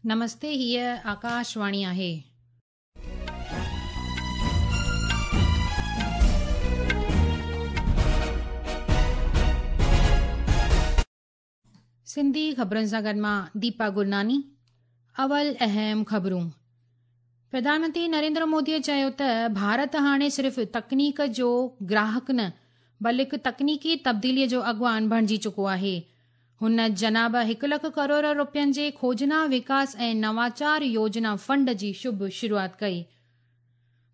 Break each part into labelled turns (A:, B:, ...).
A: نمستي هيء آڪاشواڻي آهي. سنڌي خبرن سان گڏ مان ديپا گرناني اول اهم خبرون پرڌان منتري نريندر مودي چيو ته ڀارت هاڻي صرف تڪنيڪ جو گراهڪ نه بلڪ تڪنيڪي تبديلي جو اڳواڻ بڻجي چڪو آهي. هن جناب هڪ لک ڪروڙ روپين جي کوجنا وڪاس ۽ نواچار يوجنا فنڊ جي شڀ شروعات ڪئي.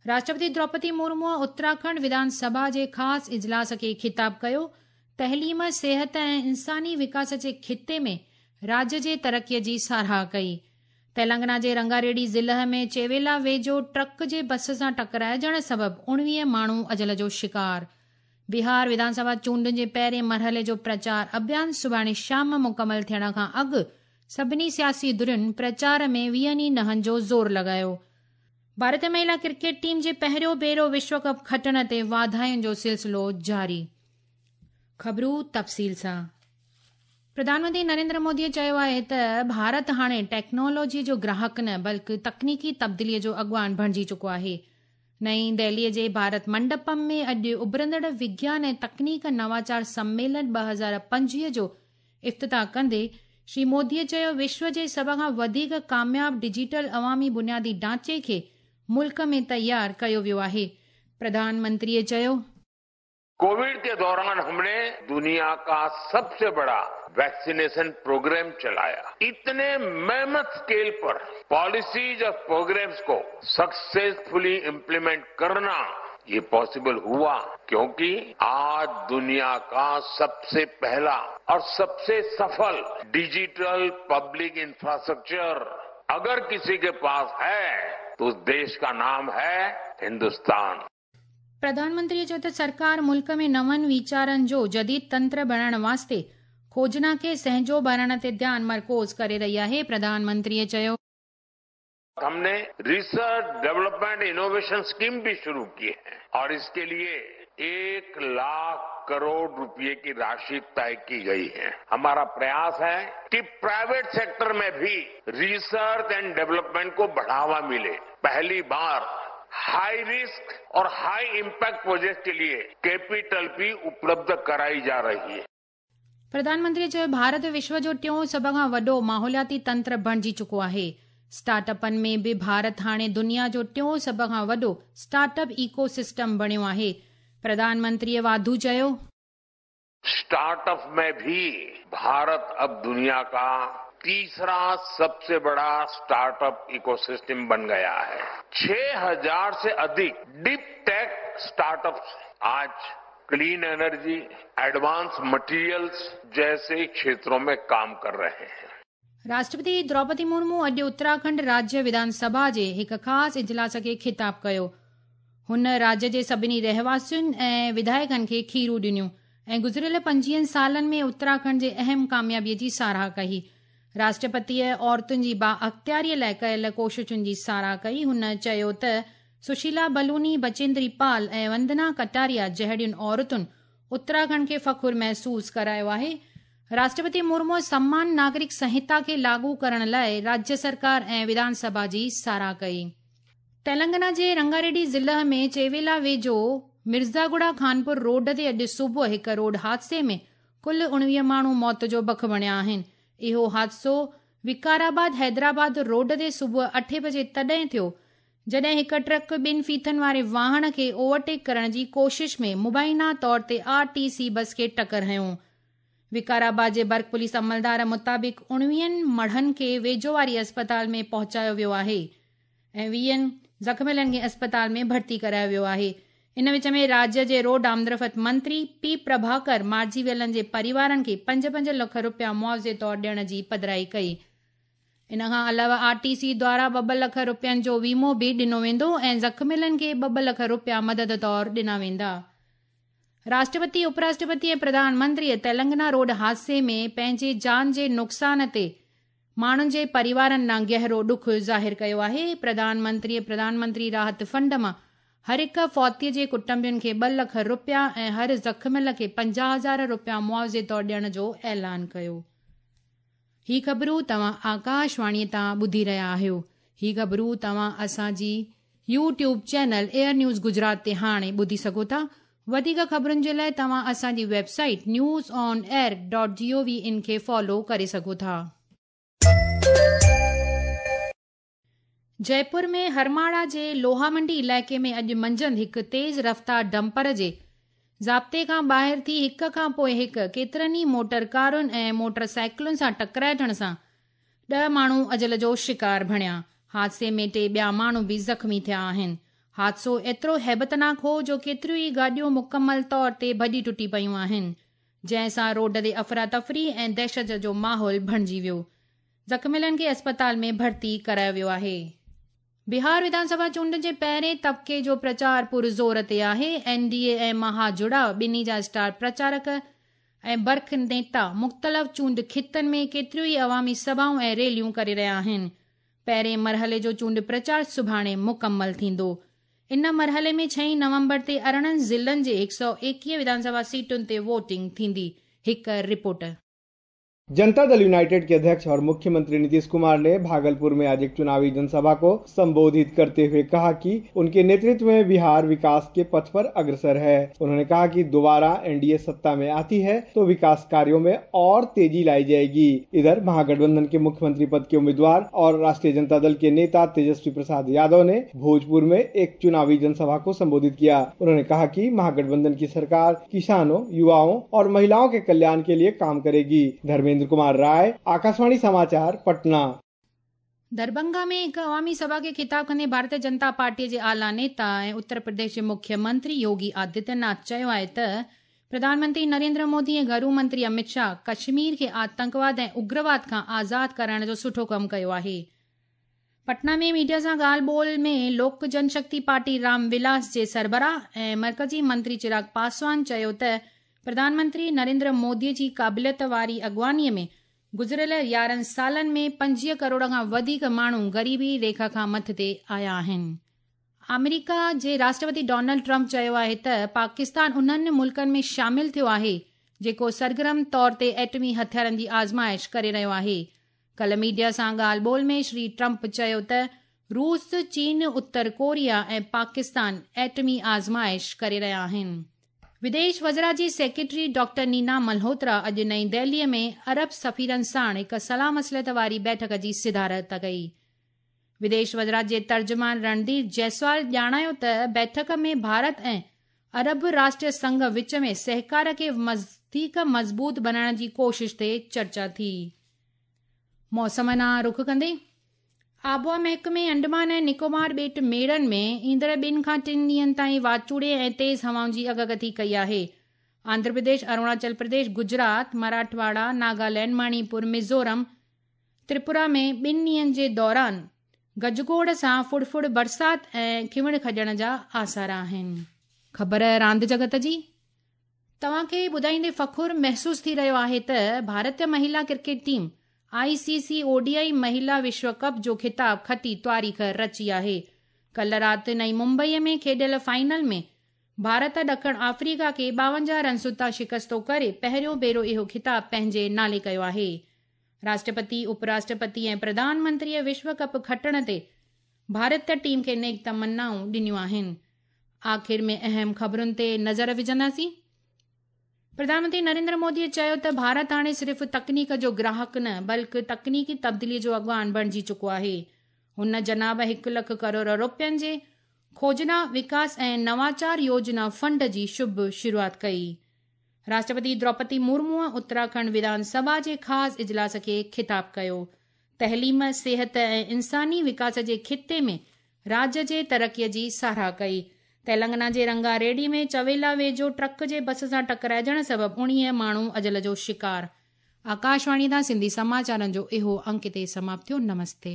A: راشٽرپتي دروپدي مرموء اتراکنڊ وڌان سڀا جي خاص اجلاس کي خطاب ڪيو، تعليم، صحت ۽ انساني وڪاس جي خطي ۾ راڄ جي ترقي جي ساراهه ڪئي. تيلنگانا جي رنگاريڊي ضلع ۾ چيويلا ويجهو ٽرڪ جي بس سان ٽڪرائجڻ سبب 19 ماڻهو اجل جو شڪار. بهار وڌان سڀا چونڊن جي پهرين مرحلي جو پرچار اڀيان سڀاڻي شام مڪمل ٿيڻ کان اڳ سڀني سياسي ڌرين پرچار ۾ ويهن ئي نهن جو زور لڳايو. ڀارتي مهلا ڪرڪيٽ ٽيم جي پهريون ڀيرو وشو ڪپ کٽڻ تي واڌاين جو سلسلو جاري. خبرون تفصيل سان پرڌان منتري نريندر مودي چيو آهي ته ڀارت هاڻي ٽيڪنالاجي جو گراهڪ نه بلڪ تڪنيڪي تبديلي جو اڳواڻ بڻجي چڪو آهي. نئين دهلي جي ڀارت منڊپم ۾ اڄ اڀرندڙ وگيان ۽ تڪنيڪ نواچار سميلن 2025 جو افتتاح ڪندي شري مودي چيو وشو جي سڀ کان وڌيڪ ڪامياب ڊجيٽل عوامي بنيادي ڍانچي کي ملڪ ۾ تيار ڪيو ويو آهي. پرڌان منتري چيو.
B: कोविड के दौरान हमने दुनिया का सबसे बड़ा वैक्सीनेशन प्रोग्राम चलाया। इतने मेहनत स्केल पर पॉलिसीज और प्रोग्राम्स को सक्सेसफुली इम्प्लीमेंट करना ये पॉसिबल हुआ क्योंकि आज दुनिया का सबसे पहला और सबसे सफल डिजिटल पब्लिक इंफ्रास्ट्रक्चर अगर किसी के पास है तो उस देश का नाम है हिंदुस्तान।
A: प्रधान मंत्री चयो त सरकार मुल्क में नवनि वीचारनि जो जदीद तंत्र बणाइण वास्ते खोजना खे सहजो बणाइण ते ध्यानु मरकूज़ करे रही आहे। प्रधान मंत्रीअ चयो,
B: हमने रिसर्च डेवलपमेंट इनोवेशन स्कीम भी शुरू की है और इसके लिए 1 लाख करोड़ रुपए की राशि तय की गई है। हमारा प्रयास है कि प्राइवेट सेक्टर में भी रिसर्च एंड डेवलपमेंट को बढ़ावा मिले। पहली बार हाई रिस्क और हाई इम्पैक्ट प्रोजेक्ट के लिए कैपिटल भी उपलब्ध कराई जा रही है।
A: प्रधान मंत्री चयो भारत विश्व जो टियों सभ खां वॾो माहौलियाती तंत्र बणिजी चुको आहे। स्टार्टअपनि में बि भारत हाणे दुनिया जो टियों सभ खां वॾो स्टार्टअप इकोसिस्टम बणियो आहे। प्रधान मंत्रीअ वाधू चयो,
B: स्टार्टअप में भी भारत अब दुनिया का तीसरा सबसे बड़ा स्टार्टअप इकोसिस्टम बन गया है। 6000 से अधिक डीप टेक स्टार्टअप्स आज क्लीन एनर्जी, एडवांस मटेरियल्स जैसे क्षेत्रों में काम कर रहे हैं।
A: राष्ट्रपति द्रौपदी मुर्मू अॼु उत्तराखंड राज्य विधानसभा जे हिकु ख़ासि इजलास खे ख़िताब कयो। हुन राज्य जे सभिनी रहवासियुनि ऐं विधायकनि खे खीरूं ॾिनियूं ऐं गुज़िरियल 25 सालनि में उत्तराखंड जे अहम कामयाबीअ जी साराह कई। राष्ट्रपतीअ औरतुनि जी बाअख़्तियारीअ लाइ कयल कोशिशुनि जी साराह कई। हुन चयो त सुशीला बलूनी, बचेंद्री पाल ऐं वंदना कटारिया जहिड़ियुनि औरतुनि उत्तराखंड खे फ़ख़ुरु महसूसु करायो आहे। राष्ट्रपति मुर्मू सम्मान नागरिक संहिता खे लागू करण लाइ राज्य सरकार ऐं विधानसभा जी साराह कई। तेलंगाना जे रंगारेड्डी ज़िले में चेवेला वेझो मिर्ज़ागुड़ा खानपुर रोड ते अॼु सुबुह हिकु रोड हादसे में कुल 19 माण्हू मौत जो बख बणिया आहिनि। इहो हादसो विकाराबाद हैदराबाद रोड ते सुबुह 8 बजे तॾहिं थियो जॾहिं हिकु ट्रक ॿिनि फीथनि वारे वाहन खे ओवरटेक करण जी कोशिश में मुबैना तौर ते आरटीसी बस खे टकर हंयो। विकाराबाद जे बर्क पुलिस अमलदार मुताबिक़ 19 मढ़नि खे वेझो वारी अस्पताल में पहुचायो वियो आहे ऐं 20 ज़ख़्मियलनि खे अस्पताल में भर्ती करायो वियो आहे। इन विच में राज्य जे रोड आमदरफ़्त मंत्री पी प्रभाकर मारिजी वियलनि जे परिवारनि खे 5-5 लख रुपया मुआवज़े तौर ॾियण जी पधराई कई। इन खां अलावा आरटीसी द्वारा 2-2 लख रुपयनि जो वीमो बि ॾिनो वेंदो ऐं ज़ख़्मियलनि खे 2-2 लख रुपया मदद तौर ॾिना वेंदा। राष्ट्रपति, उपराष्ट्रपति ऐं प्रधानमंत्रीअ तेलंगाना रोड हादसे में पंहिंजे जान जे नुक़सान ते माण्हुनि जे परिवारनि ॾांहुं गहरो ॾुख ज़ाहिर कयो आहे। प्रधानमंत्रीअ प्रधानमंत्री राहत फंड मां हर हिकु फौती जे कुटुंबियुनि खे 2 लख रुपया ऐं हर ज़ख़्मियल खे 50,000 रुपया मुआवज़े तौर ॾियण जो ऐलान कयो। هي خبرون توهان آڪاشواڻي تان ٻڌي رهيا آهيو. هي خبرون توهان اسان جي YouTube channel AIR news Gujarat تي هاڻي ٻڌي سگهو ٿا. وڌيڪ خبرن جي لاء توهان اسان جي website news on air dot G O V in کي فالو ڪري سگهو ٿا. جئپور ۾ هرماڙا جي لوها منڊي علائقي ۾ اڄ منجهند هڪ تيز رفتار ڊمپر جي ضابطي کان ٻاهر ٿي هڪ کان پوء هڪ ڪيترن ئي موٽر ڪارن ۽ موٽر سائيڪلن سان ٽڪرائجڻ سان ڏهه ماڻهو اجل جو شڪار بڻيا. حادثي ۾ ٽي ٻيا ماڻهو به زخمي ٿيا آهن. حادثو ايترو هيبتناڪ هو جو ڪيتريون ئي گاڏيون مڪمل طور تي ڀڄي ٽٽي پيون آهن، جنهن سان روڊ تي افراتفري ۽ دهشت جو ماحول بڻجي ويو. زخميلن کي اسپتال ۾ ڀرتي ڪرايو ويو آهي. بهار وڌان سڀا چونڊن جي پهرين طبقي جو پرچار پر زور تي آهي. اين ڊي اي ۽ مها جڙاء ٻنهي جا اسٽار پرچارڪ ۽ برک نيتا مختلف چونڊ خطن ۾ ڪيتريون ئي عوامي سڀائون ۽ ريليون ڪري رهيا آهن. پهرين مرحلي جو چونڊ پرچار سڀاڻي مڪمل ٿيندو. ان مرحلي ۾ ڇهين نومبر تي 18 ضلعن جي 121 وڌان سڀا سيٽن تي ووٽنگ ٿيندي. هڪ رپورٽ.
C: जनता दल यूनाइटेड के अध्यक्ष और मुख्यमंत्री नीतीश कुमार ने भागलपुर में आज एक चुनावी जनसभा को संबोधित करते हुए कहा कि उनके नेतृत्व में बिहार विकास के पथ पर अग्रसर है। उन्होंने कहा कि दोबारा एनडीए सत्ता में आती है तो विकास कार्यों में और तेजी लाई जाएगी। इधर महागठबंधन के मुख्यमंत्री पद के उम्मीदवार और राष्ट्रीय जनता दल के नेता तेजस्वी प्रसाद यादव ने भोजपुर में एक चुनावी जनसभा को संबोधित किया। उन्होंने कहा कि महागठबंधन की सरकार किसानों, युवाओं और महिलाओं के कल्याण के लिए काम करेगी। धर्मेंद्र कुमार राय, आकाशवाणी समाचार, पटना।
A: दरभंगा में हिकु अवामी सभा खे खिताब कंदे भारतीय जनता पार्टीअ जे आला नेता ऐं उत्तर प्रदेश जे मुख्यमंत्री योगी आदित्यनाथ चयो आहे त प्रधानमंत्री नरेंद्र मोदी ऐं घरू मंत्री अमित शाह कश्मीर खे आतंकवाद ऐं उग्रवाद खां आज़ाद कराइण जो सुठो कमु कयो आहे। पटना में मीडिया सां ॻाल्हि ॿोल में लोक जनशक्ति पार्टी रामविलास जे सरबराह ऐं मर्कज़ी मंत्री चिराग पासवान चयो त प्रधानमंत्री नरेंद्र मोदीअ जी क़ाबिलियत वारी अॻुवानीअ में गुज़िरियल 11 सालनि में 25 करोड़ खां वधीक माण्हू ग़रीबी रेखा खां मथे आया आहिनि। आमेरिका जे राष्ट्रपति डोनाल्ड ट्रंप चयो आहे त पाकिस्तान उन्हनि मुल्कनि में शामिल थियो आहे जेको सरगर्म तौर ते एटमी हथियारनि जी आज़माइश करे रहियो आहे। कल मीडिया सां ॻाल्हि ॿोल में श्री ट्रंप चयो त रूस, चीन, उत्तर कोरिया ऐं पाकिस्तान एटमी आज़माइश करे रहिया आहिनि। विदेश वज़रा जी सेक्रेटरी डॉक्टर नीना मल्होत्रा अॼु नई दिल्लीअ में अरब सफ़ीरनि साण हिकु सलाह मसलत वारी बैठक जी सिदारत कई। विदेश वज़रात जे तर्जुमान रणधीर जायसवाल ॼाणायो त बैठक में भारत ऐं अरब राष्ट्र संघ विच में सहकार खे वधीक मज़बूत बणाइण जी कोशिश ते चर्चा थी। मौसम ॾांहुं रुख कंदे आबहावा महकमे अंडमान ऐं निकोबार ॿेट मेड़नि में ईंदड़ 2 खां 3 ॾींहंनि ताईं वाचूड़े ऐं तेज़ हवाउनि जी अॻकथी कई आहे। आंध्र प्रदेश, अरुणाचल प्रदेश, गुजरात, मराठवाड़ा, नागालैंड, मणिपुर, मिज़ोरम, त्रिपुरा में 2 ॾींहंनि जे दौरान गजगोड़ सां फुड़फुड़ बरसात ऐं खिवण खॼण जा आसार आहिनि। ख़बर रांदि जगत जी। तव्हांखे ॿुधाईंदे फ़ख़ुरु महसूसु थी रहियो आहे त भारतीय महिला क्रिकेट टीम ICC ODI महिला विश्व कप जो ख़िताब खटी तारीख़ रची आहे। कल राति नई मुंबईअ में खेॾियल फाइनल में भारत ॾखण आफ्रीका खे 52 रनसुनि तां शिकस्तो करे पहिरियों भेरो इहो ख़िताब पंहिंजे नाले कयो आहे। राष्ट्रपति, उपराष्ट्रपति ऐं प्रधानमंत्रीअ विश्व कप खटण ते भारतीय टीम खे नेक तमन्नाऊं ॾिनियूं आहिनि। आख़िर में अहम ख़बरुनि ते नज़र विझंदासीं। प्रधानमंत्री नरेंद्र मोदीअ चयो त भारत हाणे सिर्फ़ तकनीक जो ग्राहक न बल्कि तकनीकी तब्दीलीअ जो अॻवान बणिजी चुको आहे। हुन जनाब 1 लाख करोड़ रुपयनि जे खोजना, विकास ऐं नवाचार योजना फंड जी शुभ शुरूआत कई। राष्ट्रपति द्रौपदी मुर्मूअ उत्तराखंड विधानसभा जे ख़ासि इजलास खे ख़िताब कयो। तइलीम, सिहत ऐं इंसानी विकास जे ख़िते में राज्य जे तरक़ीअ जी सराह कई। तेलंगाना जे रंगारेड्डी में चवेला वेझो ट्रक जे बस सां टकराइजण सबबु 19 माण्हू अजल जो शिकार। आकाशवाणी तां सिंधी समाचारनि जो इहो अंक हिते समाप्त थियो। नमस्ते।